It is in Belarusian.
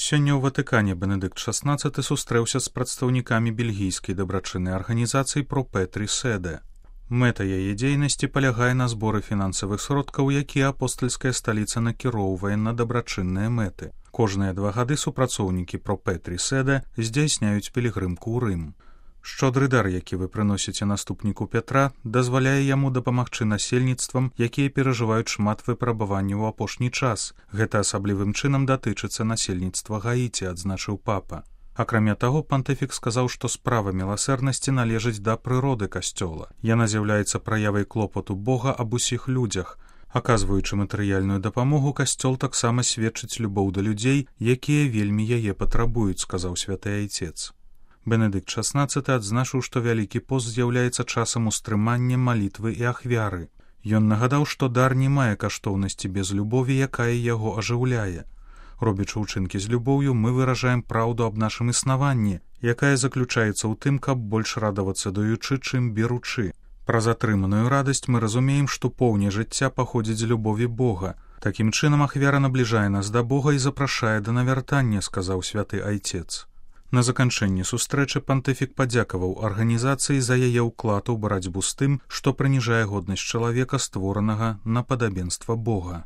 Сёння ў Ватыкане Бенедыкт XVI сустрэўся з прадстаўнікамі бельгійскай дабрачыннай арганізацыі «Про Петрі Седе». Мэта яе дзейнасці палягае на зборы фінансавых сродкаў, якія апостальская сталіца накіроўвае на дабрачынныя мэты. Кожныя 2 гады супрацоўнікі «Про Петрі Седе» здзяйсняюць пілігрымку ў Рым. Шчодры дар, які вы прыносіце наступніку Пятра, дазваляе яму дапамагчы насельніцтвам, якія перажываюць шмат выпрабаванняў у апошні час. Гэта асаблівым чынам датычыцца насельніцтва Гаіці, адзначыў папа. Акрамя таго, пантыфік сказаў, што справа міласэрнасці належыць да прыроды касцёла. Яна з'яўляецца праявай клопату Бога аб усіх людзях. Аказваючы матэрыяльную дапамогу, касцёл таксама сведчыць любоў да людзей, якія вельмі яе патрабуюць, сказаў святы айцец. Бенедыкт XVI адзначыў, што Вялікі пост з'яўляецца часам устрымання, малітвы і ахвяры. Ён нагадаў, што дар не мае каштоўнасці без любові, якая яго ажыўляе. Робячы ўчынкі з любоўю, мы выражаем праўду аб нашым існаванні, якая заключаецца ў тым, каб больш радавацца даючы, чым беручы. Праз атрыманую радасць мы разумеем, што поўне жыцця паходзіць з любові Бога. Такім чынам ахвяра набліжае нас да Бога і запрашае да навяртання, сказаў святы айцец. На заканчэнні сустрэчы пантыфік падзякаваў арганізацыі за яе ўклад у барацьбу з тым, што прыніжае годнасць чалавека, створанага на падабенства Бога.